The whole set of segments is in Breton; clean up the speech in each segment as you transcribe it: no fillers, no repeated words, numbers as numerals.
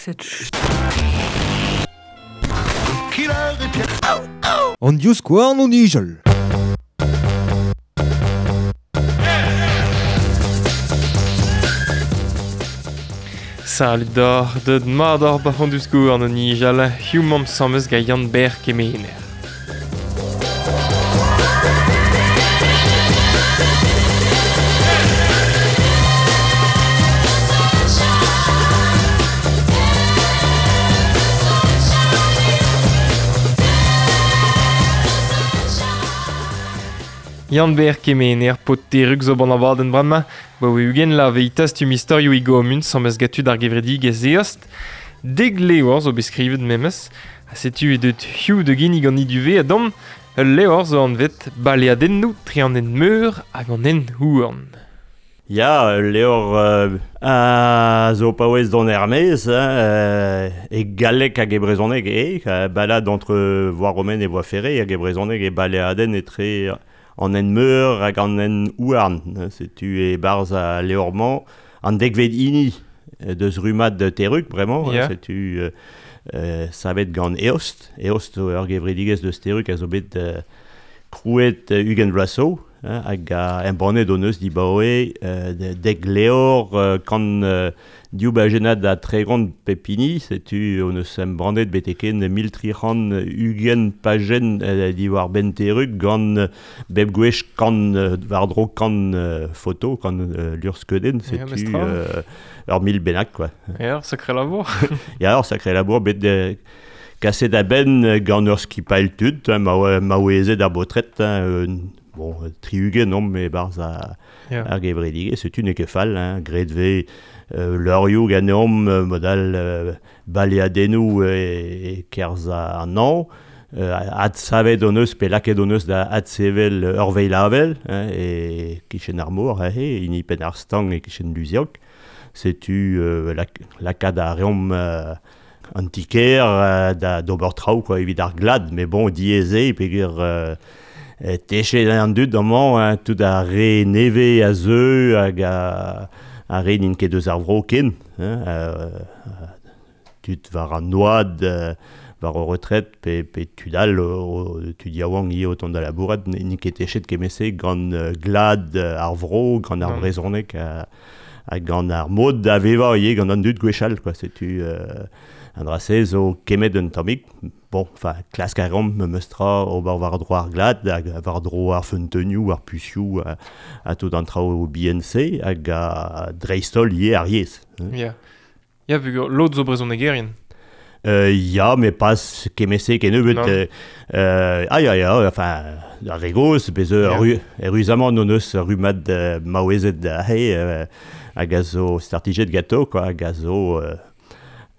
cette ch... An divskouarn o nijal. Salut d'or, deud mat oc'h ba an divskouarn o nijal, hiziv 'mamp 'sames gant Yann-Ber Kemener. Yann-Ber Kemener, paotr Terrug zo ban abadenn bremañ, ba oe ugent la vez tastum istorioù e gomun 'sames gant tud ar gevredigezh eost. Dek levr zo bet skrivet memes, ha setu eo deut hiziv da ginnig an iduve a domm ul levr zo anvet Baleadennoù tre an hent-meur hag an hent-houarn. Ya, ul levr a zo paouez dont er-maez, hein, e galleg hag e brezhoneg eo, balade entre voie romaine et voie ferrée hag e brezhoneg e baleadenn etre an hent-meur hag an hent-houarn. Setu e-barzh al levr-mañ an dekvet hini deus rummad Terrug bremañ. Ya. Setu savet gant Eost. Eost zo ur gevredigezh deus Terrug a zo bet krouet 20 vloaz zo. Hag a embannet hon eus dibaoe dek levr kant div bajennad ha 30 pep hini. Setu hon eus embannet betek-hen 1320 pajenn diwar-benn Terrug gant bep gwech kant war-dro kant foto, kant luc'hskeudenn. Ya, Setu mestra. ur mil bennak, quoi. Ya, ur sakre labour. Ya, ur sakre labour bet kaset a-benn gant ur skipailh tud, hein, maouezed ar baotred, hein, bon, 60 omp e-barzh Ya. ar gevredigezh, setu n'eo ket fall, hein, graet vez leurioù ganeomp, mod all baleadennoù e-kerzh an hañv, adsavet hon eus pe lakaet hon eus da adsevel ur veilh-avel, hein, e-kichen ar mor, aze, hini penn ar stang e-kichen Luziac. Setu lakaat a reomp an ti-kêr da d'ober traoù quoi, evit ar glad, mais bon, diaes eo peogwir techet an dud amañ, hein, tout ar re nevez a zeu hag ar re n'int ket eus ar vro ken, hein, tud war an oad, war o retret, pe tud all, tud yaouank ivez o tont da labourat, n'int ket techet kement-se gant glad ar vro, gant ar brezhoneg ha gant ar mod da vevañ ivez gant an dud gwechall, quoi. Setu an dra-se zo kemmet un tammig. Bon, enfin, klask a reomp memes tra ober war-dro ar glad, hag war-dro ar feunteunioù, ar pusioù, ha tout an traoù bihan-se, hag a dreist-holl ivez ar yezh. Hein. Ya. Ya, peogwir lod zo brezhonegerien. Ya, mais pas kement-se kennebeut. Non. Ah ya, ya, enfin, ar re gozh, bez Ya. eüruzamant hon eus rummad maouezed aze, hag a zo startijet ganto, quoi, hag a zo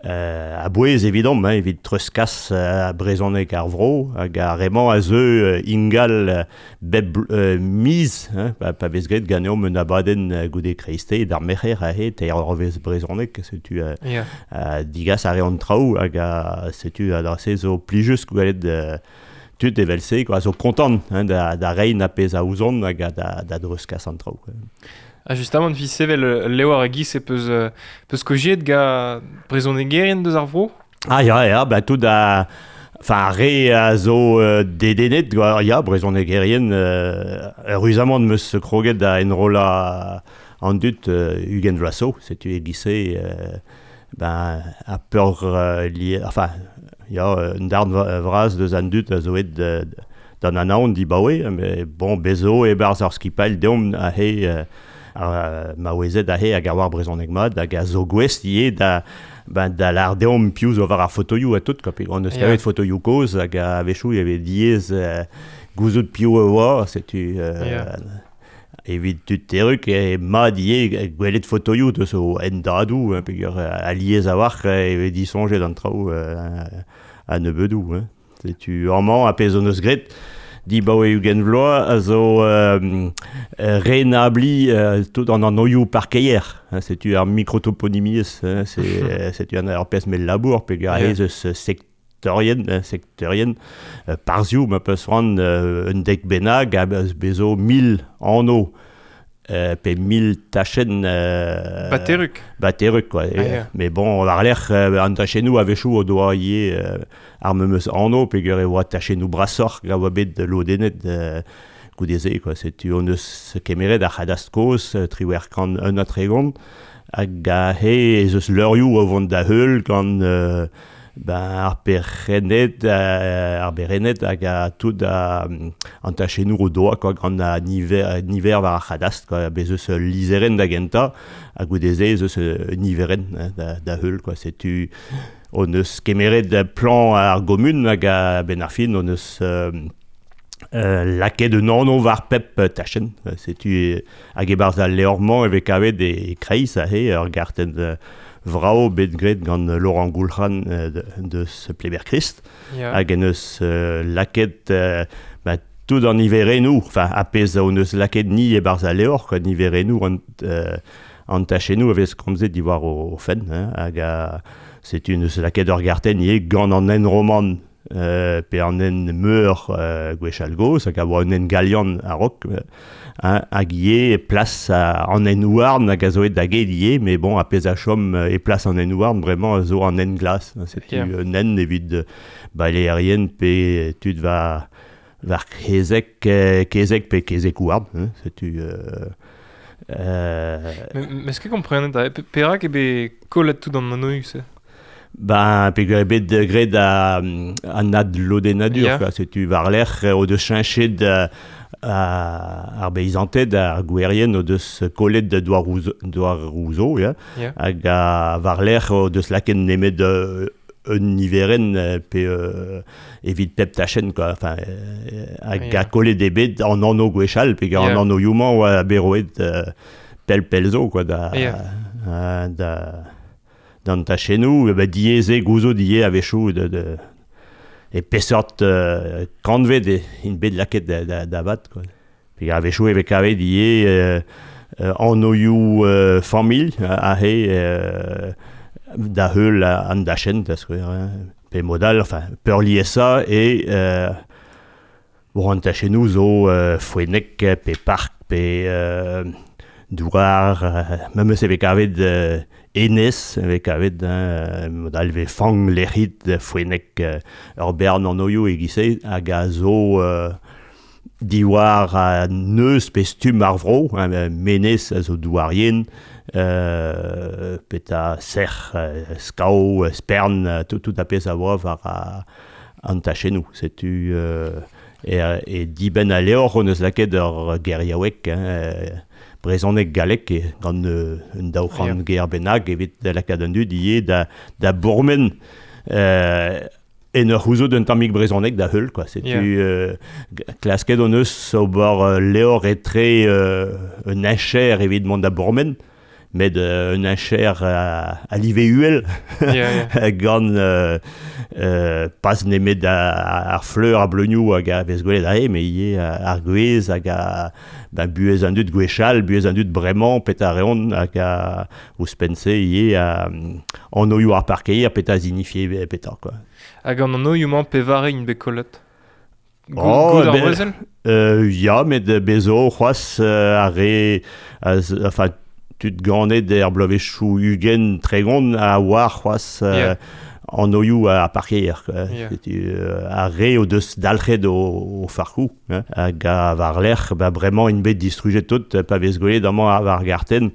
a-bouez evidomp, hein, evit treuzkas brezhoneg ar vro, hag ar re-mañ a zeu ingal bep miz, hein, pa vez graet ganeomp un abadenn goude kreisteiz d'ar merc'her aze, teir eurvezh brezhoneg, setu Ya. digas a reont traoù, hag a, setu a dra-se zo plijus gwelet tud evel-se, quoi, a zo kontant, hein, da reiñ ar pezh a ouzont hag a, da dreuzkas an traoù, quoi. Ha justamant, vi sevel levr a giz e peus kojiet ga brezhonegerien deus ar vro? Ah ya, ya, bah tout a, enfin, ar re a zo dedennet, quoi, ya, brezhonegerien, eüruzamant meus kroget da enrollañ an dud 20 vloaz zo, setu e-giz-se ben, a peur li, enfin, ya, un darn vras deus an dud a zo aet d'an anaon dibaoe, mais bon, bezo e-barzh ar skipailh deomp aze ar maouezed aze hag a oar brezhoneg mat, hag a zo gouest ivez da, ben, da lâr deomp piv zo war ar fotoioù ha tout, quoi, pe on eus kavet fotoioù kozh hag a-wechoù e vez diaes gouzout piv e oa, setu evit tud Terrug e mat ivez gwelet fotoioù deus o hendadoù, hein, peogwir alies a-walc'h e vez disoñjet an traoù a nebeudoù, hein. Setu amañ ar pezh hon eus graet dibaoe 20 vloaz a zo renabliñ tout an anoioù parkeier, hein, setu ar mikrotoponimiezh, hein, c'est, setu an ar pezh mell labour, peogwir aze eus sektorien, hein, sektorien, parzhioù, ma peus c'hoant un dek bennak, a bezo 1000 anv Pe 1000 tachenn Bateruk. Bateruk quoi. Ah, ya. Mais bon, war-lerc'h an tachennoù a-wechoù o doa ivez ar memes anv peogwir e oa tachennoù brasoc'h a oa bet lodennet goude-se quoi. Setu hon eus kemeret ar c'hadastr kozh 1831 hag aze ez eus leurioù o vont da heul gant ben, ar perc'henned, ar berened hag a tout an tachennoù o doa quoi, gant a niver war ar c'hadastr quoi. Bez eus ul lizherenn da gentañ ha goude-se ez eus un niverenn da heul quoi. Setu hon eus kemeret plan ar gomun hag a-benn ar fin hon eus lakaet un anv war pep tachenn. Setu hag e-barzh al levr-mañ e vez kavet e kreiz aze ur gartenn vrao bet graet gant Laurent Goulc'han deus Pleber-Christ. Hag en eus lakaet tout an niverennoù, enfin ar pezh hon eus lakaet ni e-barzh al levr, quoi, niverennoù an tachennoù a vez komzet diwar o fenn, hein, hag setu neus lakaet ur gartenn ivez gant an hent roman pe an hent meur gwechall gozh, hag a oa un hent galian a-raok, hein, hag ivez plas an hent houarn hag a zo aet da get ivez, mais bon, ar pezh a chom e plas an hent houarn bremañ a zo an hent glas. Setu un hent evit baleerien pe tud war kezeg pe kezeg houarn, hein, setu... Mais est-ce que komprenet perak eo bet kollet tout an anv-se? Ben, peogwir eo bet graet an adlodennadur, quoi. Setu war-lerc'h o deus cheñchet ar beizanted, ar gouerien o deus kollet douaroù zo, ya. Hag war-lerc'h o deus lakaet nemet un niverenn pe evit pep tachenn, quoi. Enfin, hag a kollet eo bet an anv gwechall, peogwir an anvioù-mañ oa bet roet pell-pell zo, quoi, da d'an tachennoù, ba diaes eo gouzout ivez a-wechoù e peseurt kantved int bet lakaet da vat, quoi. Peogwir a-wechoù e vez kavet ivez anvioù familh aze da heul an dachenn, da skouer, hein. Pe mod all, enfin, peurliesañ eo bon, an tachennoù zo foennek pe park pe douar, memes e vez kavet enez, e vez kavet, hein, mod all e vez fang, lec'hid, foennek, ur bern anvioù e-giz-se hag a zo diwar neuz pe stumm ar vro, hein, menez a zo douarien, peta sec'h, skao, spern, tout ar pezh a oa war an tachennoù. Setu e dibenn al levr hon eus lakaet ur geriaoueg, hein, brezhoneg gallek gant un daou c'hant ger bennak evit lakaat an dud ivez da bourmen en ur c'houzout un tammig brezhoneg da heul, quoi. Setu klasket hon eus ober levr etre un heñcher evit mont da bourmen, met un heñcher a live uhel gant pas nemet ar fleur ar bleunioù hag a vez gwelet aze, mais ivez ar gwez hag ben, buhez an dud gwechall, buhez an dud bremañ, petra reont hag ouzhpenn-se ivez anvioù ar parkeier, petra signifie petra, quoi. Hag an anvioù-mañ pevare int bet kollet? Gout ar brezel? Ya, met bez zo c'hoazh ar re, enfin, tud ganet er bloavezhioù 20 30 a oar c'hoazh anvioù ar parkeier, quoi. Setu ar re o deus dalc'het o farkoù, hein. Hag a war-lerc'h, ba bremañ int bet distrujet tout, pa vez gwelet amañ war gartenn,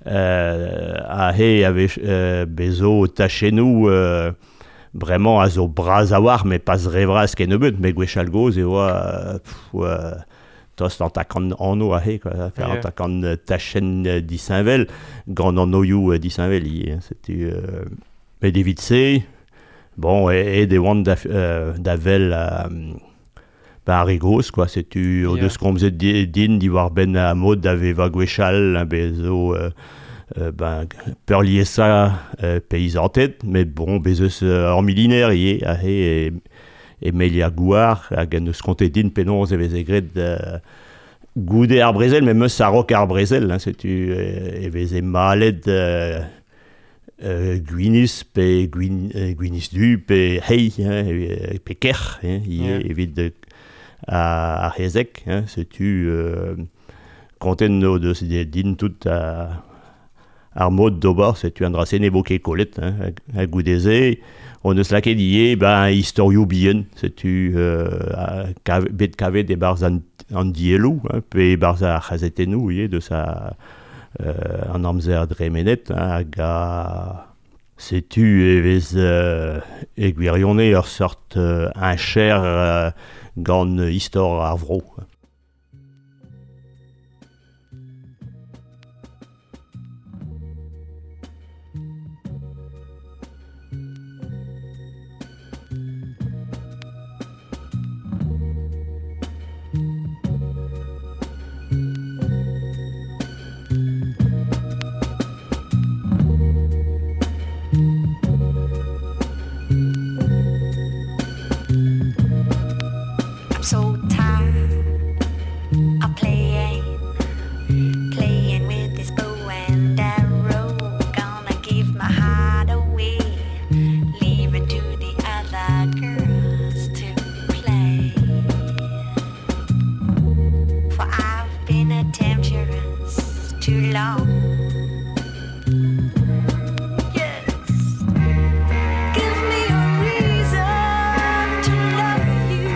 aze a vez bez zo tachennoù bremañ a zo bras a-walc'h, met pas re vras kennebeut, met gwechall gozh e oa tost an takant anv aze, quoi, an takant tachenn disheñvel, gant anvioù disheñvel ivez, hein. Setu met evit se, bon, aet e oant da wel ba ar re gozh, quoi. Setu o deus komzet din diwar-benn ar mod da vevañ gwechall, bez zo ben, peurliesañ peizanted, met bon, bez eus ur miliner ivez aze e Melia Gouar, hag en deus kontet din penaos e veze graet goude ar brezel, memes a-raok ar brezel, hein, setu e veze malet gwinizh pe gwinizh du pe hei, hein, pe kerc'h, hein, ivez evit ar c'hezeg, hein, setu Konten no deus din tout ar mod d'ober, setu an dra-se ne vo ket kollet, hein, ha goudeze, on eus lakaet ivez, ben, istorioù bihan, setu bet kavet e-barzh an dielloù, hein, pe e-barzh ar c'hazetennoù ivez, deus an amzer dremenet, hein, hag a setu e vez e gwirionez ur seurt heñcher gant istor ar vro. So tired of playing, playing with this bow and arrow. Gonna give my heart away, leave it to the other girls to play. For I've been a temptress too long. Yes, give me a reason to love you.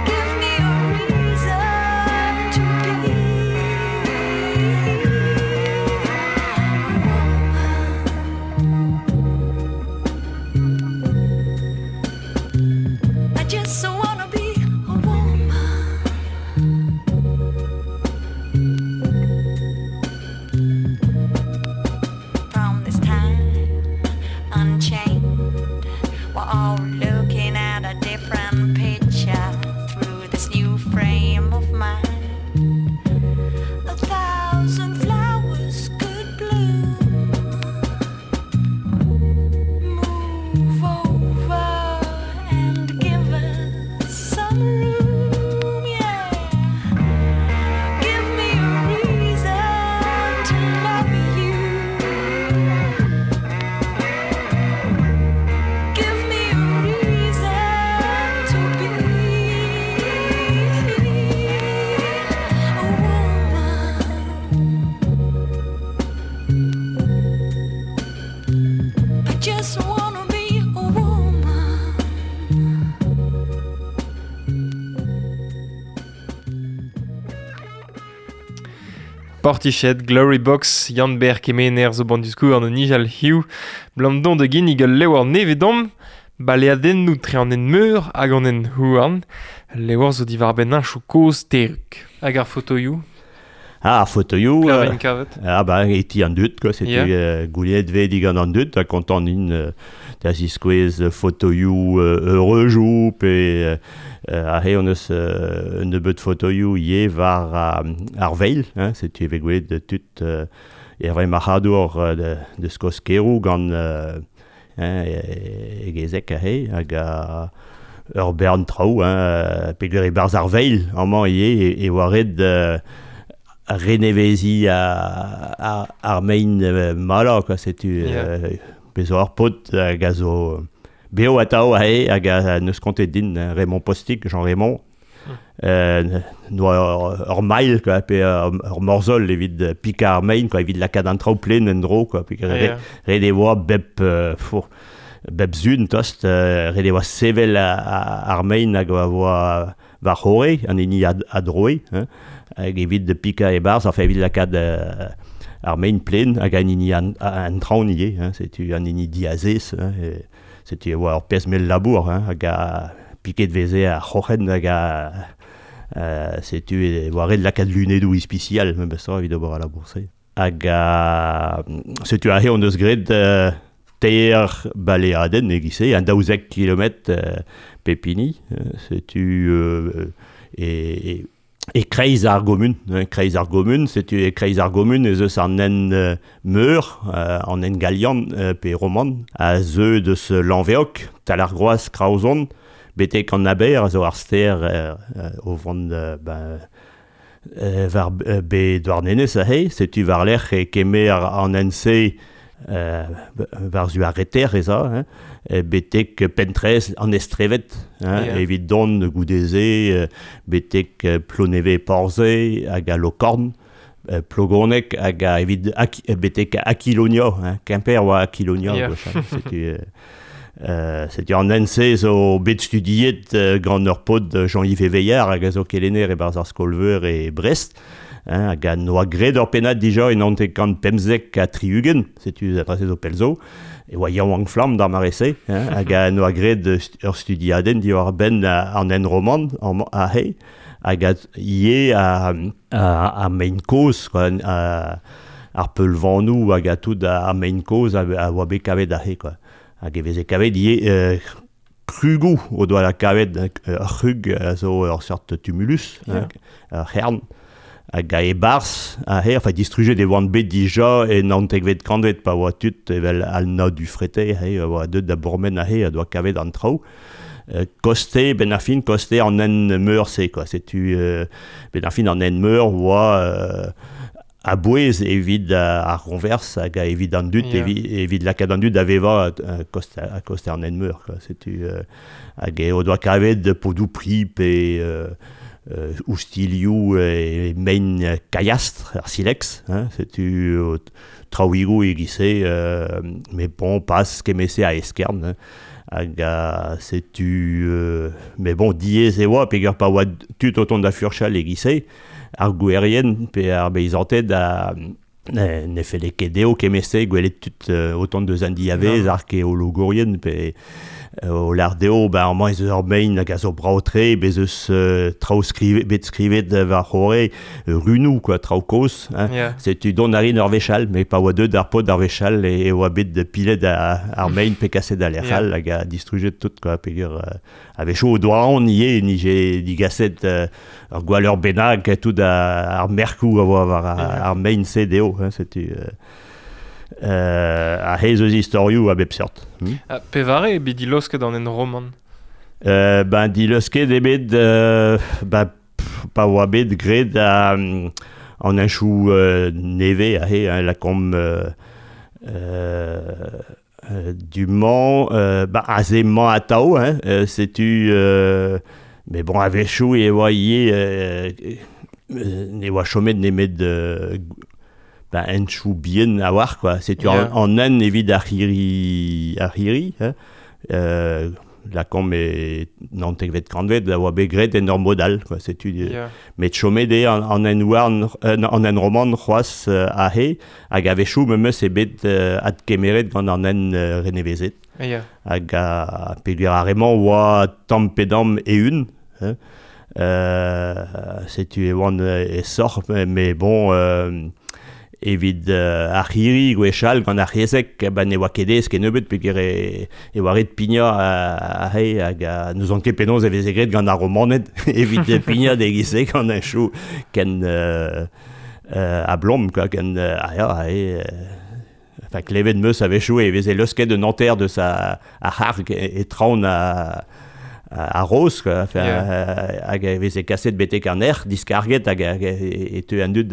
Give me a reason to be a woman. I just wanna be a woman. From this time unchained, we're all looking at a different picture through this new frame of mind. 1,000 flowers could bloom. Move over and give us some room, yeah. Give me a reason to love you. Give me a reason to be a woman. I just wanna be a woman. Portiched, Glory Box, Yann Ber Kemener zo ban diskour an nijal hiu, blam don de ginnig ul levr nevedom, baleadennoù tre an en meur hag an en houarn, levr zo diwar benn heñchoù kozh teruk. Hag ar fotoioù? Ah, ar fotoioù, Klavin kavet. Ah ben, e ti an dud, quoi, setu, Yeah. gouliet ve digant an dud, ha kontant int da ziskouez fotoioù eureujoù, pe aze on eus un nebeud fotoioù ivez war ar veil, hein, setu e vez gwelet tud Hervé Marc'hadour de Skoskerou gant hein, e gezek aze, hag a ur bern traoù, hein, peogwir e-barzh ar veil, amañ ivez, e oa ret renevezi ar mein malañ, quoi, setu, Yeah. bez zo ar paotr hag a zo beo atao aze, hag a neus kontet din, hein, Raymond Postic, Jean Raymond, noa ur mail, quoi, pe ur morzhol evit pika ar mein, quoi, evit lakaat an traoù plen en-dro, quoi, pe ret e oa bep zun tost, ret e oa sevel ar mein hag a oa war c'horre, an hini a droe, hein, hag evit de pika e-barzh, enfin evit lakaat ar mein plen hag an hini an traoñ ivez, hein, setu an hini diazez, hein, e, setu e oa ur pezh mell labour, hein, hag a piket veze ar c'hroc'hen hag a setu e oa ret lakaat lunedoù ispisial, memes tra evit ober al labour-se. Hag a, setu aze hon eus graet teir baleadenn e-giz-se, un daouzek kilometr pep hini, setu e kreiz ar gomun, hein, kreiz ar gomun, setu e kreiz ar gomun ez eus an en meur, an en galian pe roman, a zeu deus Lanveoc, Talargroaz, Kraozon, betek an Aber, a zo ar ster o vont ben war be Douarnenez aze, setu war-lerc'h e kemer an en-se War-zu ar reter ez a, hein, betek Pentrez an Estrevet, hein, Yeah. evit don goudeze, betek Ploneve Porze hag a Lokorn, Plogoneg hag a evit betek Aquilonia, hein, Quimper oa Aquilonia, Yeah. gwechall, setu, setu an NC zo bet studiet gant ur paotr Jean-Yves Eveillard hag a zo kelenner e-barzh ar skol-veur e Brest, hein, hag a noa graet ur pennad dija en 1975, setu a zo pell zo, e oa yaouank flamm d'ar mare-se, hein, hag a noa graet ur studiadenn diwar benn an enroman ahe, hag a ivez a mein kozh, quoi, ar peulvanoù hag a tout a mein kozh a oa bet kavet ahe, quoi. Hag e veze kavet ivez krugou o doa la kavet, ur c'hrug a zo ur seurt tumulus, hein, ur c'hern, hag a e-barzh, ahe, enfin distrujet e oant bet dija e naontekvet kantved pa oa tud evel Alna du Frete, he, a oa deut da bourmen ahe, a doa kavet an traoù. Koste, ben ar fin, koste an en meur-se, quoi. Setu, ben ar fin an en meur oa a-bouez evit ar ronvers hag a evit an dud, Yeah. evit lakaat an dud da vevañ a koste an en meur, quoi. Setu, hag e o doa kavet podou pri pe oustilioù e mein kaiastr, ar silex, hein, setu traouigoù e-giz-se, mais bon, pas kemese a eskern, hein. Hag a setu, mais bon, diaes e oa, peogwir pa oa tud o tont da furchal e-giz-se, ar gouerien pe ar beizanted a ne felle ket dezho kemese gwelet tud o tont deus an diavez, Non. arkeologourien pe o lar dezho, ben, amañ ez eus ur mein hag a zo brav-tre, bez eus traoù bet skrivet war c'horre, runoù, quoi, traoù kozh, hein. Yeah. Setu dont a rin ur wechall, mais pa oa deut ar paotr ar wechall e oa bet pilet ar mein pe kaset da lec'h Yeah. all hag a distrujet tout, quoi, peogwir a-wechoù o doa aon ivez nije digaset ur gwalleur bennak tout ar merkoù a oa war Yeah. ar mein-se dezho, hein, setu a hez eus istorioù a bep seurt. Ha pevare eo bet dilosket an en roman? Ben dilosket eo bet ben, pa oa bet graet an henchoù nevez ahe, hein, lakaomp du-mañ, ben, aze 'mañ atav, hein, setu, mais bon, a-wechoù e oa ivez ne oa chomet nemet ben, henchoù bihan a-walc'h, quoi. Setu Yeah. an hent evit ar c'hirri, hein, lakaomp e naontekvet kantved a oa bet graet en ur mod all, quoi. Setu, Yeah. met chomet eo an hent-houarn, an hent roman c'hoazh aze, hag a-wechoù memes eo bet adkemeret gant an hent renevezet. Yeah. Hag a, peogwir ar re-mañ oa tamm pe damm e-un, hein. Setu e oant e soc'h, mais bon, evit ar c'hirri gwechall gant ar c'hezeg, ben ne oa ket aes kennebeut peogwir e oa ret pignañ aze, hag a, n'ouzon ket penaos e veze graet gant ar Romaned evit pignañ d'e-giz-se gant un chou ken a blom, quoi, ken ah ya, aze, enfin, klevet meus a-wechoù e veze leusket un hanter deus a c'harg e traon a roz, quoi, enfin, Yeah. hag e veze kaset betek an erc'h, diskarget hag e teu an dud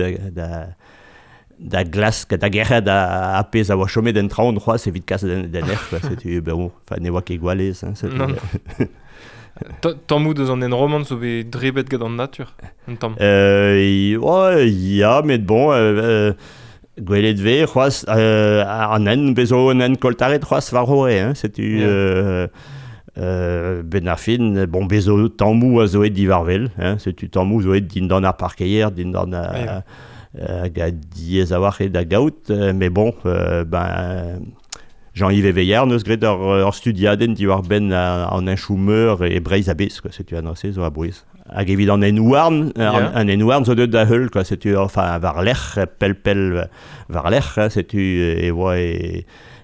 da glask, da gerc'hat a pezh a oa chomet en traon c'hoazh evit kas den erc'h, quoi. Setu, ben bon, enfin, ne oa ket gwallez, hein, setu. Non, non. Tammoù deus an enroman zo bet drebet gant an natur, un tamm. Ouais, ya, met bon, gwelet vez c'hoazh, an hent, bez zo un hent koltaret c'hoazh war c'horre, hein, setu, Yeah. ben ar fin, bon, bez zo tammoù a zo aet diwar-wel, hein, setu tammoù zo aet dindan ar parkeier, dindan a, Yeah. hag a diaes a-walc'h eo da gaout, mais bon, ben, Jean-Yves Eveillard neus graet ur studiadenn diwar-benn an henchoù meur e Breizh a-bezh, quoi, setu an se zo a-bouez. Hag evit an hent-houarn, Yeah. an hent-houarn zo deuet da heul, quoi, setu, enfin, war-lerc'h, pell-pell war-lerc'h, hein, setu e oa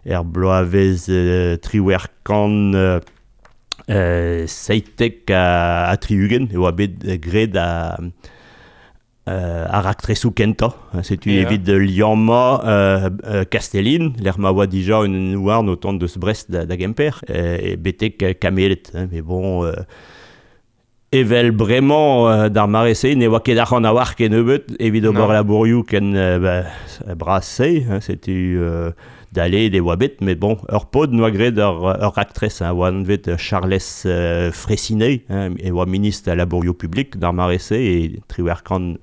er bloavezh triwec'h kant, 77 ha 60, e oa bet graet ar raktresoù kentañ, hein, setu Yeah. evit liammañ Kastellin, lec'h ma oa dija un houarn o tont deus Brest da Gemper, e betek Kameled, hein, mais bon, Evel bremañ d'ar mare-se ne oa ket arc'hant a-walc'h kennebeut evit ober labourioù ken bras-se, hein, setu daleet e oa bet, met bon, ur paotr 'noa graet ur raktres, hein, oa anvet Charles Freycinet, hein, e oa ministr al labourioù publik d'ar mare-se e 78,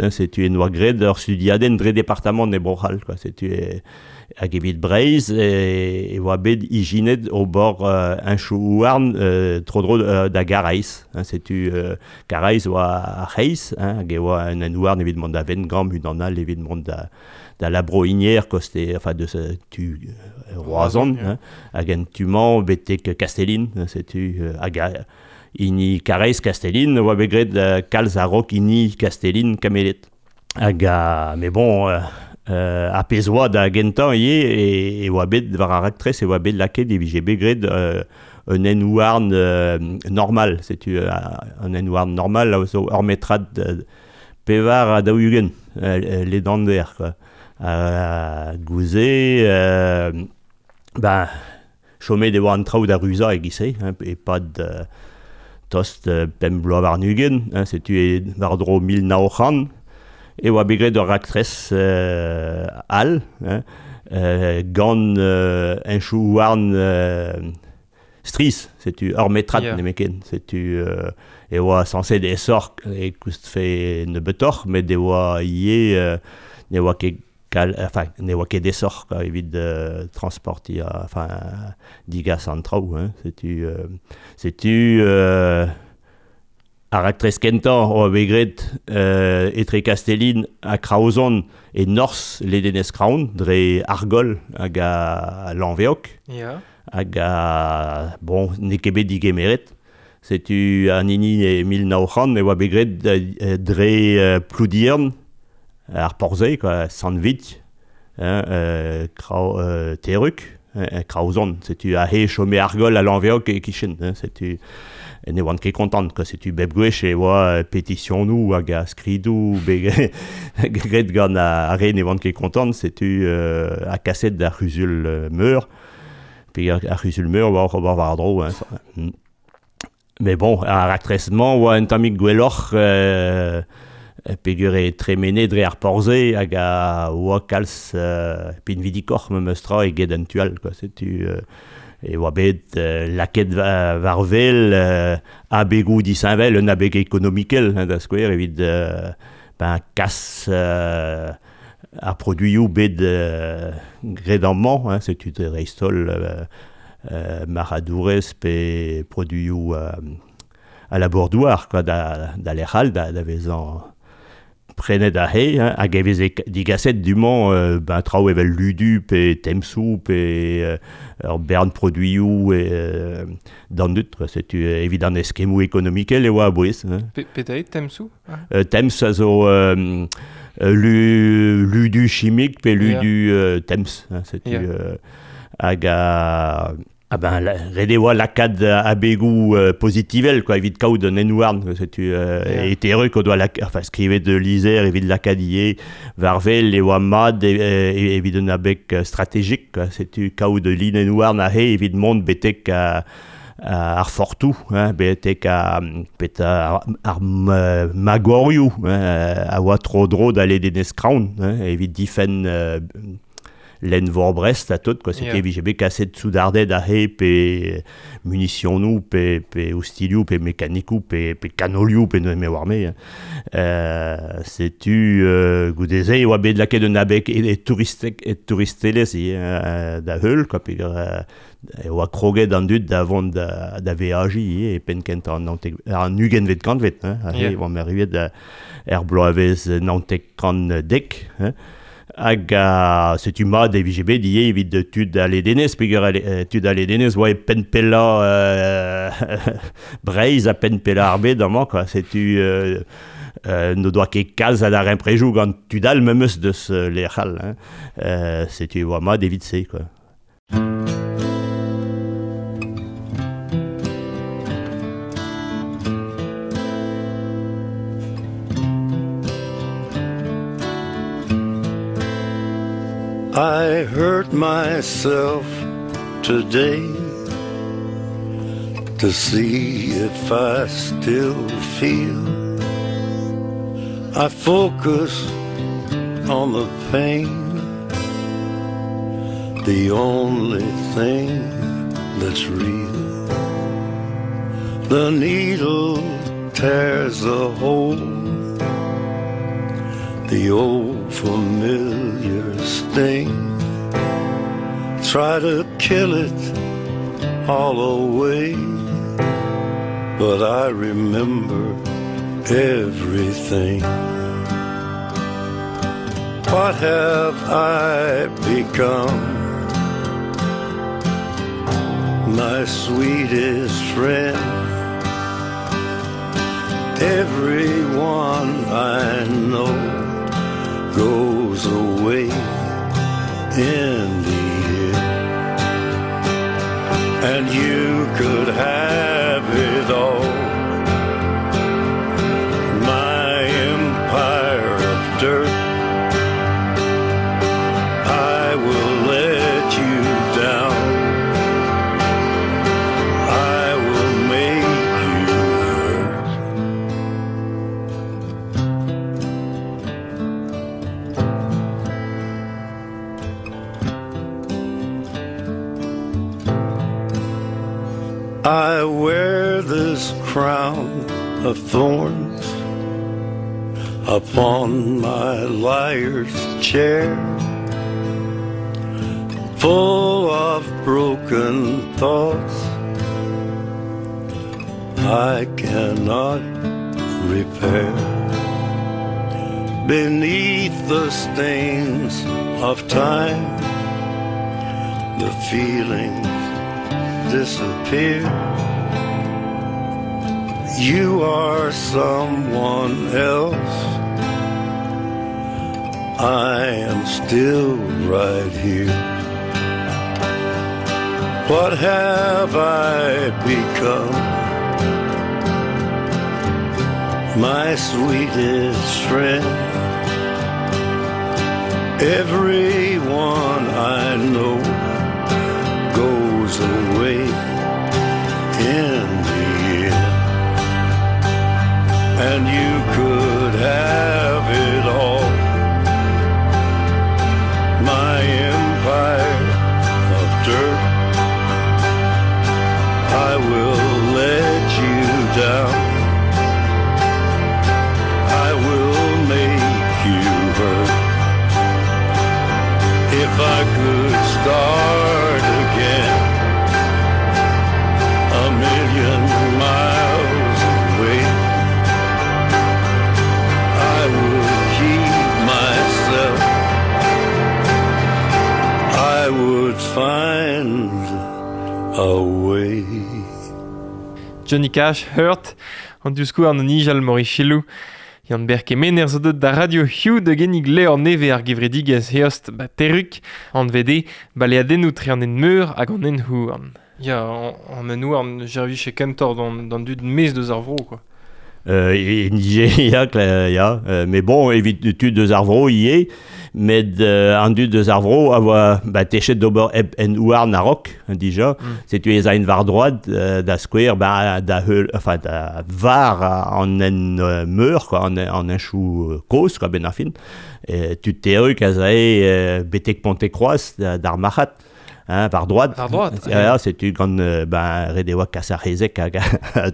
hein, setu en doa graet ur studiadenn dre departamant e Bro-C'hall, quoi, setu Hag evit Breizh e oa bet ijinet ober heñchoù-houarn tro-dro da Garaez. Setu Karaez oa ar c'hreiz, hag e oa un hent-houarn evit mont da Wengamp, unan all evit mont da da La Brohinière, koste, enfin deus tu Roazhon, hag en tu-mañ betek Kastellin. Setu hag hini Karaez Kastellin oa bet graet kalz a-raok hini Kastellin Kameled. Hag mais bon, ar pezh oa da gentañ ivez e oa bet war ar raktres e oa bet lakaet e vije bet graet un hent-houarn normal. Setu un hent-houarn normal a zo ur metrad 44 ledander quoi. Gouze ben chomet e oa an traoù da ruzañ e-giz-se hein, e-pad tost 25, hein, setu e war-dro 1900 e oa bet graet ur raktres all hein, gant heñchoù-houarn strizh, setu ur metrad nemetken. Setu e oa sañset aesoc'h e koustfe nebeutoc'h, met e oa ivez ne oa ket Kal enfin, ne oa ket aesoc'h quoi, evit transportiñ enfin digas an traoù hein. Setu setu ar raktres kentañ oa bet graet etre Kastellin ha Kraozon e norzh ledenez Kraon dre Argol hag a Lanveog. Ya. Hag a bon n'eo ket bet digemeret. Setu an hini e 1900 e oa bet graet dre Ploudiern, ar porzh quoi, Sant-Vig, hein, Terrug, Kraozon. Setu aze e chome Argol ha Lanveog e-kichen. Hein, setu ne oan ket kontant, quoi. Setu bep gwech e oa petisionoù hag a skridoù bet graet gant ar re ne oant ket kontant. Setu ha kaset d'ar c'huzul meur. Pe ar c'huzul-meur oa oc'h ober war-dro. Hein. Mais bon, ar raktres-mañ oa un tammig gwelloc'h peogwir e tremene dre ar porzh hag a oa kalz pinvidikoc'h memes tra eget an tu all. Quoi. Setu e oa bet lakaet war wel abegoù disheñvel, un abeg ekonomikel da skouer evit ben, kas ar produioù bet graet amañ, hein, setu dreist-holl marc'hadourezh pe produioù a labour-douar quoi, da, da lec'h all da, da vezañ prenet aze, hein, hag e veze digaset du-mañ ben, traoù evel ludu pe temsoù pe ur bern produioù d'an dud. Quoi. Setu evit an eskemmoù ekonomikel e oa a-bouez. Hein. Petra eo temsoù? Temps a zo lu, ludu chimik pe ludu temps. Hein, setu hag a Ah ben, ret e oa lakaat abegoù pozitivel quoi, evit kaout un hent-houarn. Setu e terreux o doa enfin, skrivet lizher evit lakaat ivez war wel e oa mat evit un abeg strategik. Quoi. Setu kaout ul linenn-houarn aze evit mont betek ar fortoù, hein, betek ar, ar magorioù hein, a oa tro-dro da ledenez Kraon hein, evit difenn lenn-vor Brest ha tout, quoi. C'était vije bet kaset soudarded aze pe munisionoù pe, pe ostilhoù pe mekanikoù pe, pe kanolioù pe me oar me. Hein. Setu goude-se e oa bet lakaet un abeg e, touristek, e touristelezh ivez da heul, quoi, pe e oa kroget an dud da vont da, da veajiñ ivez e penn kentañ an naontek, an ugentvet kantved. Hein, aze e oamp erruet er bloavezh 1910. Hein. Hag setu mat e vije bet ivez evit tud a ledenez, peogwir tud a ledenez oa e penn pellañ Breizh ha penn pellañ ar bed amañ, quoi. Setu n'o doa ket kalz a darempredoù gant tud all memes deus lec'h all. Hein. Setu e oa mat evit se, quoi. I hurt myself today. to see if I still feel. I focus on the pain, the only thing that's real. The needle tears a hole, the old familiar sting. Try to kill it all away, but I remember everything. What have I become? My sweetest friend. Everyone I know goes away in the end. And you could have it all, my empire of dirt. I will let you down, I will make you hurt. I wear this crown of thorns upon my liar's chair, full of broken thoughts I cannot repair. Beneath the stains of time, the feelings disappear. You are someone else, I am still right here. What have I become? My sweetest friend. Everyone I know goes away in the end. And you could have it all, my empire of dirt. I will let you down, I will make you hurt. If I could start again, a million miles away, I would keep myself, I would find a way. Johnny Cash, Hurt, an diouskouarn an nijal Maurice Yann Ber Kemener zo deut da radio Hugh de gennig levr nevez ar gevredigezh Heost ba Terrug, an VD, baleadennoù tre an en meur hag an en houarn. Ya, an en houarn jervich e kentor d'an dud mez deus ar vro, quoi. Ya, ya, mais bon, evit tud deus ar vro ivez, met an dud deus ar vro a oa ba techet d'ober hep en houarn a-raok, dija. Setu ez a en var droad da skouer ba da heul, enfin da var an en meur, quoi, an enchou kozh, quoi, ben ar fin. Tud Terrug a zae betek Pontekroaz d'ar marc'had. Hein, var droad. Var droad. Ja, setu gant ben ret e oa kas ar c'hezeg hag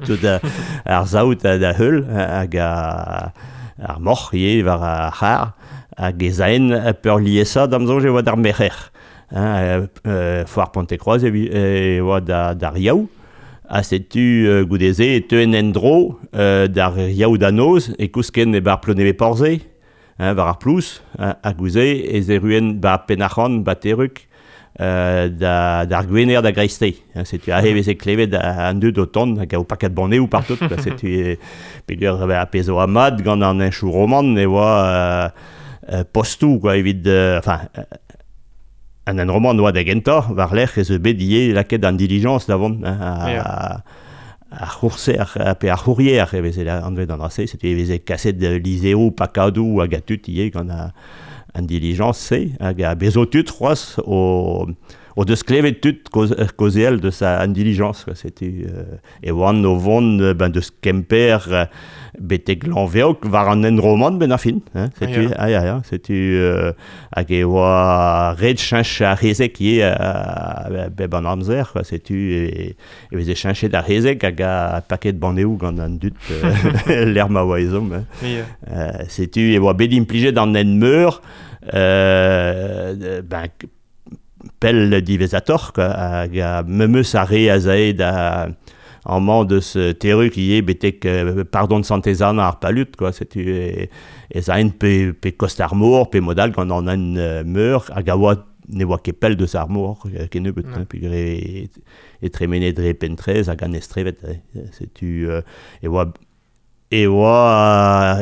tout ar saout da heul hag ar moc'h ivez war ar c'har hag ez aen peurliesañ d'am soñj e oa d'ar merc'her. Hein, foar Pontekroaz e oa d'ar Yaou. Ha setu goude-se e teuen en-dro d'ar Yaou da noz e kousken e bar Plonevez-Porzhe, hein, war ar plouz, ha gouze ez erruen ba Penarc'hant, ba Terrug, d'ar gwener da greisteiz. Setu aze veze klevet an dud o tont hag o paket banneoù partout. Setu peogwir ar pezh oa mat gant an henchoù roman e oa postoù, quoi, evit enfin an en roman oa da gentañ war-lerc'h ez eus bet ivez lakaet an dilijañs da vont, hein, Ar c'hourser pe ar c'hourrier e veze anvet an dra-se, setu e veze kaset lizheroù pakadoù hag a tud ivez gant an dilijañs-se hag a bezo tud c'hoazh o deus klevet tud kaozeal deus an dilijañs quoi. Setu e oant o vont ben deus Kemper betek Lanveog war an hent roman benn ar fin hein, setu ah ya ya setu hag e oa ret cheñch ar c'hezeg ivez bep an amzer quoi, setu e veze cheñchet ar c'hezeg hag a paket banneoù gant an dud lec'h ma oa ezhomm hein. Setu e oa bet implijet an hent meur ben pell diwezhatoc'h quoi, hag memes ar re az ae da amañ deus Terrug ivez betek pardon Santez-Anna ar Palud quoi, setu ez aent pe kost ar mor pe mod all gant an hent meur hag a oa ne oa ket pell deus ar mor kennebeut hein, peogwir e tremene dre Pentrez hag an Estrevet setu e oa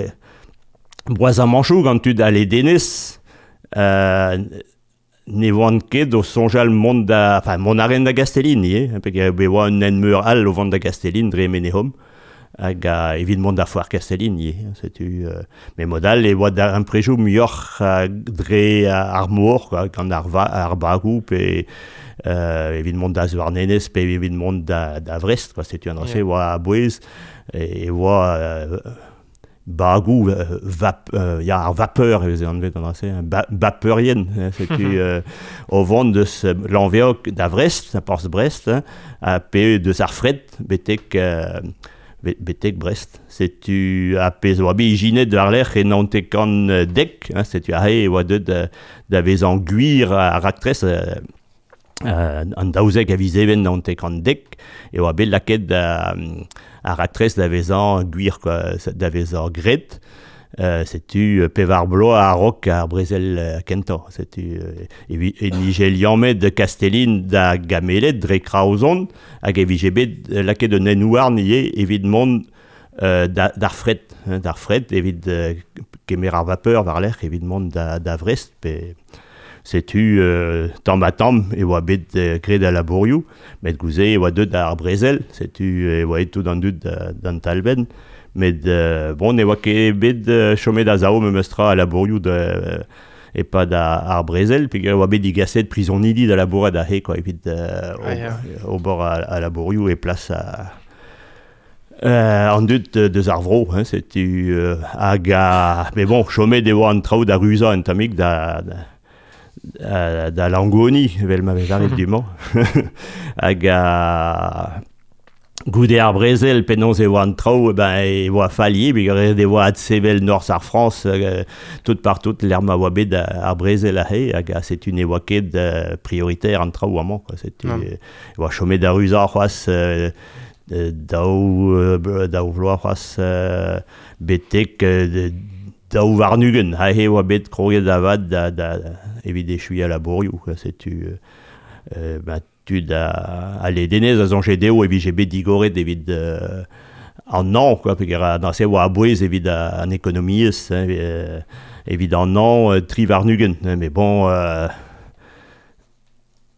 boazamanchoù gant tud a ledenez ne oant ket o soñjal mont da... Enfin, mont a raent da Gastellin ivez, peogwir e oa un hent meur all o vont da Gastellin dre Menehom, hag evit mont da foar Kastellin ivez. Setu, met mod all e oa darempredoù muioc'h dre ar mor, quoi, gant ar bagoù pe evit mont da Zouarnenez pe evit mont da Vrest, quoi. Setu an dra-se oa a-bouez e oa bagoù ya ar vapeur e veze anvet an dra-se bapeurien setu o vont deus Lanveog da Vrest, porzh Brest, ha pe deus ar fred betek betek Brest. Setu ar pezh a oa bet ijinet war-lerc'h e 1910, setu aze e oa deuet da vezañ gwir ar raktres an 12 a viz Even 1910 e oa bet lakaet ar raktres da vezañ gwir quoi, da vezañ graet. Setu pevar bloaz a-raok ar brezel kentañ. Setu e nije liammet Kastellin da Gameled dre Kraozon hag e vije bet lakaet un hent-houarn ivez evit mont d'ar fred, d'ar fred evit kemer ar vapeur war-lerc'h evit mont da Vrest pe setu tamm-ha-tamm e oa bet graet al labourioù met goude e oa deuet ar brezel setu e oa aet tout an dud d'an talbenn met bon ne oa ket bet chomet a-sav memestra al labourioù e-pad ar brezel peogwir e oa bet digaset prizonidi da labourat aze quoi evit ober al labourioù e plas an dud deus ar vro, hein, setu hag mais bon, chomet e oa an traoù da ruzañ un tammig da Langoni, evel ma vez lâret du-mañ. Hag goude ar brezel, penaos e oa an traoù, ben e oa fall ivez, peogwir e oa adsevel norzh ar Frañs tout partout lec'h ma oa bet ar brezel aze, hag setu ne oa ket prioritaire an traoù amañ, quoi. Setu e oa chomet da ruzañ c'hoazh daou vloaz c'hoazh betek 22. Aze e oa bet kroget avat da evit echuiñ al labourioù. Setu ben, tud a ledenez a soñje dezho e vije bet digoret evit an hañv, quoi, peogwir neuze e oa a-bouez evit an ekonomiezh, hein, evit an hañv 23. Mais bon,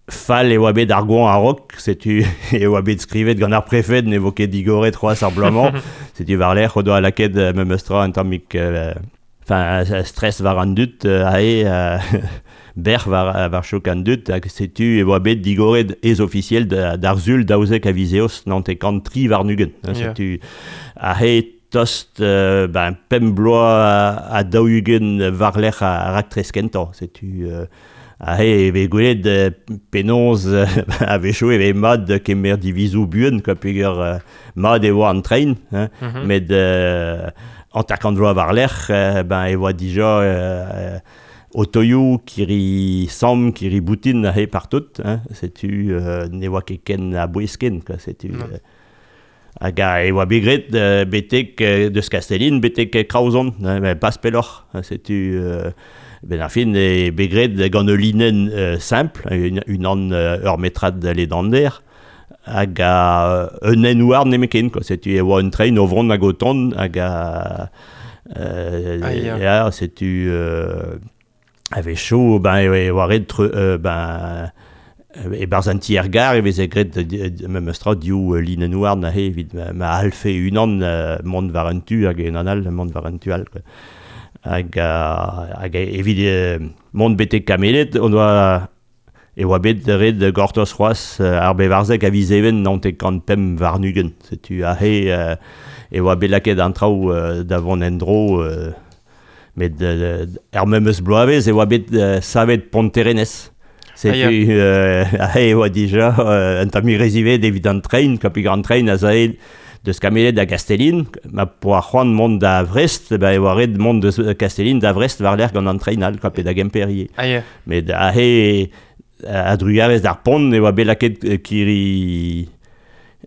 Fall e oa bet ar goañv a-raok, setu e oa bet skrivet gant ar prefed ne vo ket digoret c'hoazh ar bloaz-mañ. Setu war-lerc'h o doa lakaet memes tra un tammig enfin stress war an dud aze, bec'h war chouk an dud hag setu e oa bet digoret ez-ofisiel d'ar Sul 12 a viz Eost 1923. Setu aze tost ben 5 bloaz ha 40 war-lerc'h ar raktres kentañ. Setu Aze e vez gwelet penaos a-wechoù e vez mat kemer divizoù buan quoi peogwir mat e oa an tren hein, met 50 vloaz war-lerc'h ben e oa dija otoioù, kirri-samm, kirri-boutin aze partout hein, setu ne oa ket ken a-bouez ken quoi, setu hag e oa bet graet betek deus Kastellin betek Kraozon, met pas pelloc'h. Setu benn ar fin eo bet graet gant ul linenn simpl, unan ur metrad ledander, hag un hent-houarn nemetken quoi. Setu e oa un tren o vont hag o tont hag ya, setu a-wechoù ben e oa ret ben E barz an ti ergar e veze graet memes tra div linenn houarn aze evit ma alfe unan mont war un tu hag unan all mont war un tu all quoi. Hag hag evit mont betek Kameled on oa e oa bet ret gortoz c'hoazh ar bevarzek a viz Even 95. Setu aze e oa bet lakaet an traoù da vont en-dro met er memes bloavezh e oa bet savet Pont-Terenez. Setu aze e oa dija un tammig re ziwezhat evit an tren, kapi an tren a zae deus Kameled da Gastellin, ma poa c'hoant mont da Vrest, ba e oa ret mont deus Kastellin da Vrest war-lerc'h gant an tren all, pe da Gemper ivez. Ah, ya. Met aze a-drugarez d'ar pont e oa bet lakaet kirri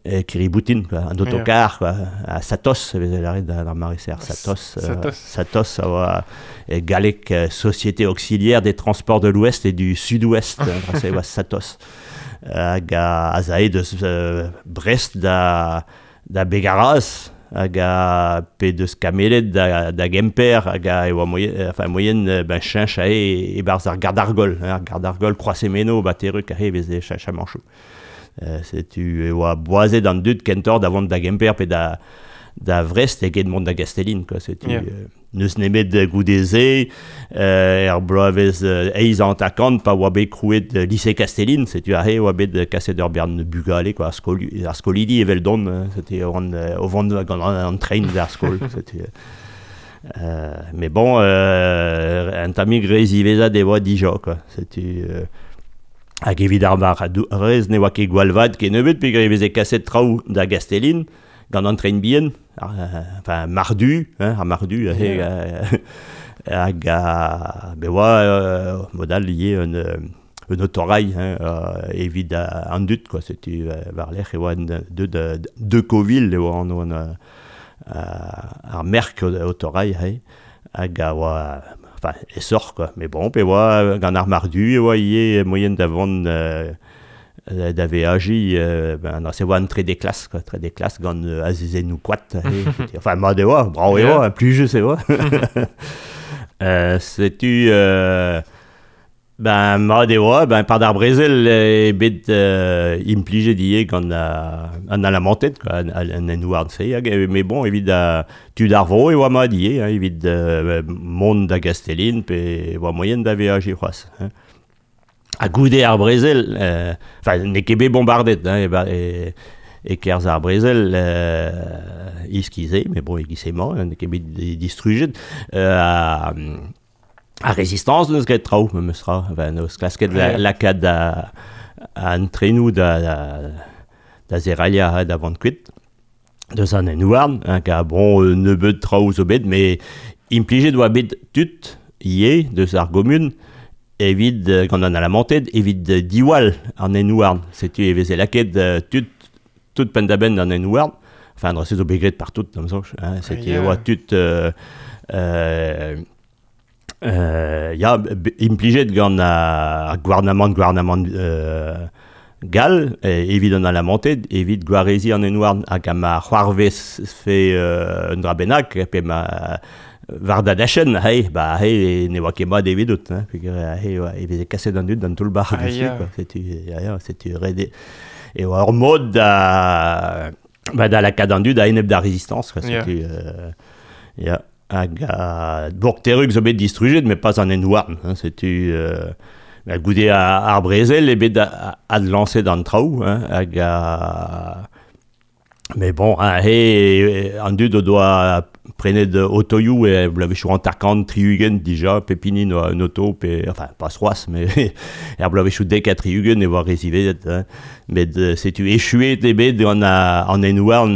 kirri-boutin, quoi, an autocar, quoi, a Satos, e veze lâret d'ar mare-se, ar Satos. Satos. Satos a oa e galleg Société Auxiliaire des Transports de l'Ouest et du Sud-Ouest, se e oa Satos. Hag a zae deus Brest da Begaraz, hag a pe deus Kameled da Gemper, hag a e oa moyen, enfin, moyen ben cheñch ae e-barzh ar Gardargol, hein, ar Gardargol, Kroaz-Emeno, ba Terruk, aze e veze cheñch a-manchoù. Setu e oa boazet an dud kentoc'h da vont da Gemper pe da Vrest eget mont da Gastellin, quoi. Setu n'eus nemet goude-se er bloavezh eizh hanter-kant pa oa bet krouet lycée Castellin, setu aze e oa bet kaset ur bern bugale, quoi, ar skolidi eveldon, setu o vont gant an tren d'ar skol, setu. Mais bon, un tammig re ziwezhat e oa dija, quoi. Setu hag evit ar marc'hadourez ne oa ket gwall vat kennebeut peogwir e veze kaset traoù da Gastellin gant an tren bihan, enfin mardu, hein, ar mardu, hag be oa mod all ivez un autorail, hein, evit an dud, quoi. Setu war-lerc'h e oa de Coville e oa anv ar merk autorail, hein, hag a oa enfin, esoc'h, quoi. Mais bon, pe oa gant ar mardu e oa ivez moyen da vont da veajiñ, ben, se oa an trede klas, quoi, trede klas gant azezennoù koad. Enfin, mat e oa, brav e oa, plijus e oa. Setu ben, mat e oa, ben, par d'ar brezel eo bet implijet ivez gant an Alamanted, quoi, an hent-houarn-se, hag mais bon, evit tud ar vro e oa mat ivez, hein, evit mont da Gastellin pe e oa moyen da veajiñ c'hoazh, hein. Ha goude ar brezel, enfin, n'eo ket bet bombardet, hein, e-kerzh ar brezel, iskize, mais bon, e-giz-emañ, n'eo ket bet distrujet, ar Résistance n'eus graet traoù, memes tra, enfin, n'eus klasket lakaat an trenoù da zerailhañ, hein, da vont kuit deus an hent-houarn, hein, ka bon, nebeut traoù zo bet, mais implijet oa bet tud ivez deus ar gomun evit gant an Alamanted, evit diwall an hent-houarn. Setu e veze lakaet tud tout penn-da-benn an hent-houarn. Enfin, an dra-se zo bet graet partout, da'm soñj, hein. Setu e oa tud ya, implijet gant ar gouarnamant gall evit an Alamanted, evit gwareziñ an hent-houarn. Hag ma c'hoarvezfe un dra bennak, pe ma war da dachenn, hey, ba hey, ne oa ket mat evidout, hein, peogwir hey, e veze kaset an dud d'an toull-bac'h dessus, quoi. Setu, ya, setu ret e oa ur mod da lakaat an dud a-enep d'ar Résistance, quoi. Setu, ya. Hag Bourg-Terrug zo bet distrujet, mais pas an hent-houarn, hein, setu goude ar brezel eo bet adlañset an traoù, hein, hag mais bon, hein, he, an dud o doa prenet otoioù e bloavezhioù hanter-kant, tri-ugent dija, pep hini oa un oto, pe, enfin, pas c'hoazh, mais er bloavezhioù dek ha tri-ugent e oa re ziwezhat, hein. Met setu echuet eo bet gant an hent-houarn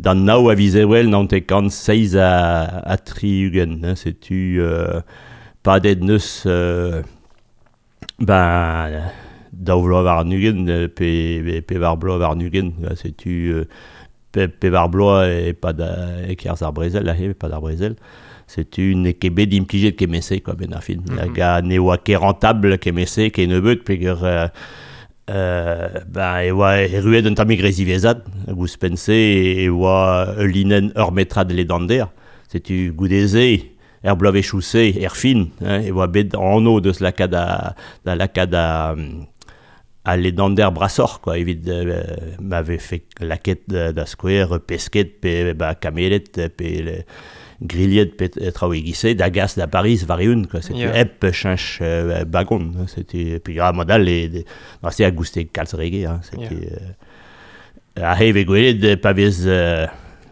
d'an nav a viz Ebrel 1967, hein, setu padet neus ben daou vloaz warn-ugent pe pevar bloaz warn-ugent, setu pevar bloaz e-pad e-kerzh ar brezel, aze, e-pad ar brezel. Setu n'eo ket bet implijet kement-se, quoi, benn ar fin. Hag ne oa ket rentable kement-se kennebeut, peogwir ben e oa erruet un tammig re ziwezhat, hag ouzhpenn-se e oa ul linenn ur metrad ledander. Setu goude-se, er bloavezhioù-se, er fin, hein, e oa bet anv deus lakaat da lakaat a ledander brasoc'h, quoi, evit ma vefe laket da skouer pesket pe ba kamelet pe grilhet pe traoù e-giz-se da gas da Paris war-eeun, quoi. Setu hep cheñch bagon, hein, setu puis ah, mod all e se a gouste kalz rege, hein, setu aze e vez gwelet pa vez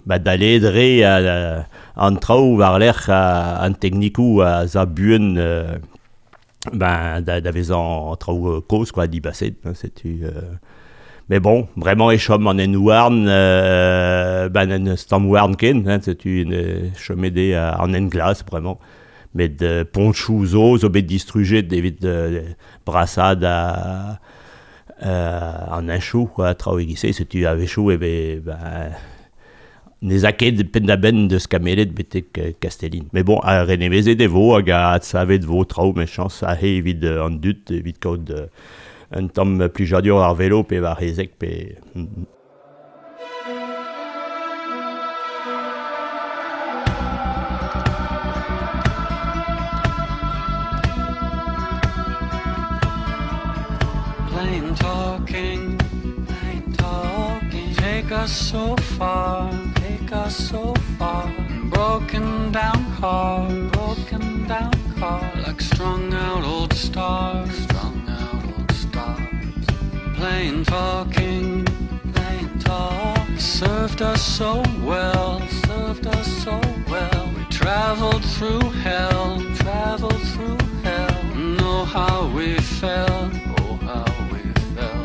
ba dalet re an traoù war-lerc'h an teknikoù a za buan ben da vezañ traoù kozh, quoi, dibaset, hein, setu mais bon, bremañ e chom an hent-houarn ben en stamm-houarn ken, hein, setu chomet eo an hent glas bremañ. Met ponchoù zo bet distrujet evit brasaat an henchoù, quoi, traoù e-giz-se, setu a-wechoù e vez ben, ne 'z a ket penn-da-benn deus Kameled betek Kastellin. Mais bon, renevezet e vo hag adsavet vo traoù mechañs aze evit an dud, evit kaout un tamm plijadur ar velo pe war hezeg pe... Plain talking, plain talking, take us so far, take us so far. Broken down car, broken down car, like strung out old stars, strung out old stars. Plain talking, plain talk, served us so well, served us so well. We traveled through hell, traveled through hell. Know how we fell, oh how we fell.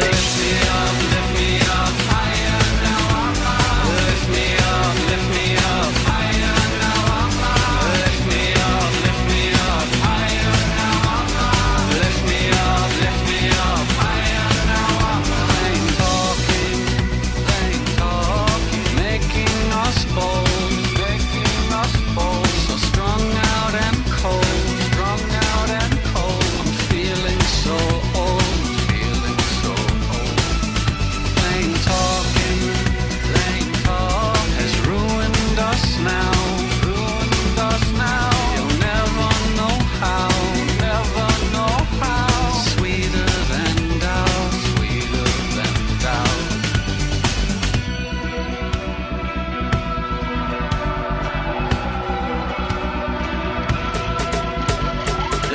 Lift me up, lift me up, higher now I'm high. Lift me up, lift me up, higher now I'm high. Lift me up, lift me up, higher now I'm high. Lift me up, lift me up, higher now I'm high. Plain talking, plain talking, making us bold, making us bold. So strung out and cold, strung out and cold. I'm feeling so old, feeling so old. Plain talking, plain talk has ruined us now, ruined us now. You'll never know how, never know how. Sweeter than doubt, sweeter than doubt.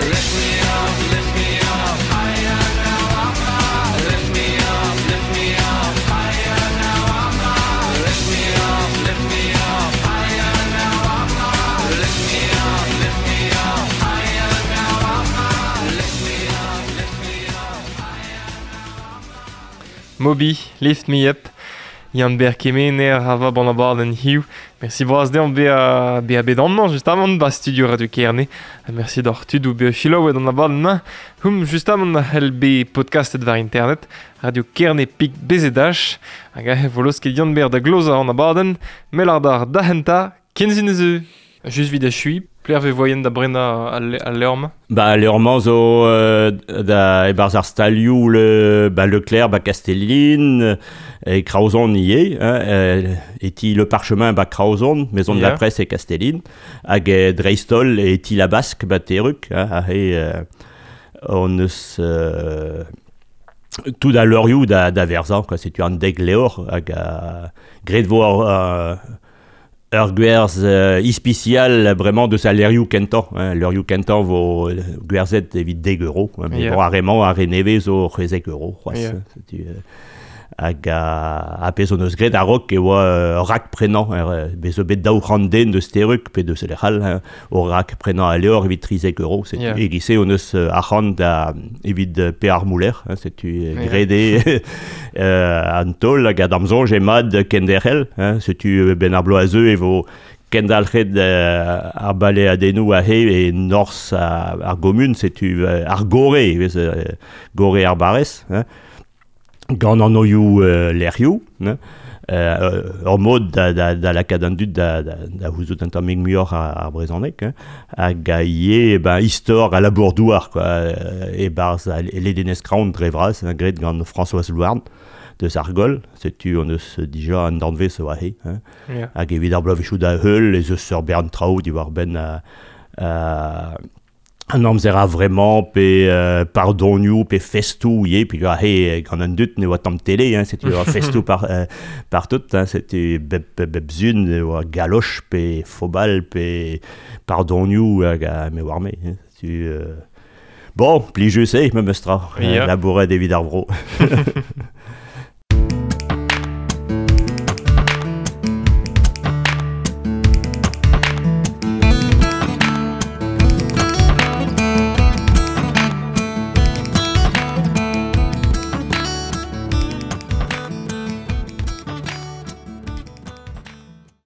Lift me up, lift me up, higher now I'm high. Lift me up, lift me up, higher now I'm high. Lift me up, lift me up, higher now I'm high. Lift me up, lift me up, higher now I'm high. Lift me up, lift me up, higher now I'm high. Moby, Lift Me Up, Yann-Ber Kemener a va ban abadenn hiziv. Merci bras dezhañ bezañ bet amañ justamant ba studio Radio Kerne. Ha merci d'hor tudoù bezañ selaouet an abadenn-mañ. Hum justamant a c'hell bet podcastet war internet Radio Kerne pik BZH. Hag aze vo laosket Yann-Ber da glozañ an abadenn. Mell ar da hentañ, kenzin eus. Just vid achui, pler ve voyen da brenañ al levr-mañ? Ba, al levr-mañ zo da e-barzh ar stalioù le, ba Leclerc, ba Castelline, e Kraozon ivez, hein, e ti Le Parchemin ba Kraozon, Maison de la Presse e Castelline, hag dreist-holl e ti La Basque ba Terrug, hein, aze on eus tout a leurioù da verzañ, quoi, setu an dek levr hag a graet vo ur gwerz ispisial bremañ deus al leurioù kentañ, hein, leurioù kentañ vo gwerzhet evit dek euro, hein, mais bon, ar re-mañ, ar re nevez zo c'hwezek euro, c'hoazh, setu hag a pezh hon eus graet a-raok e oa rak-prenañ, bez zo bet 200 den deus Terrug pe deus lec'h all, hein, o rak-prenañ al levr evit 13 euro, setu e-giz-se hon eus arc'hant da evit pe ar mouler, hein, setu graet eo an taol hag a da'm soñj eo mat kenderc'hel, hein, setu ben ar bloaz zeu e vo kendalc'het ar baleadennoù aze e norzh ar gomun, setu ar gore, e vez gore ar barrez, hein, gant an oioù lec'hioù, hein, ur mod da lakaat an dud da c'houzout un tammig muioc'h ar brezhoneg, hein, hag a ivez ben, istor a labour-douar, quoi, e-barzh ledenez Kraon dre vras, hein, graet gant Françoise Louarn. deus ar goll, setu on eus dija an danvez oa he, hein. Ya. Hag evit ar bloavezhioù da heul ez eus ur bern traoù diwar-benn an amzer a vremañ pe pardonioù pe festoù ivez, pe he gant an dud ne oa tamm tele, hein, setu oa festoù partout, hein, setu bep sun e oa galoch pe fobal pe pardonioù hag me oar me, hein, setu bon, plijus eo memes tra, Ya. labouret evit ar vro.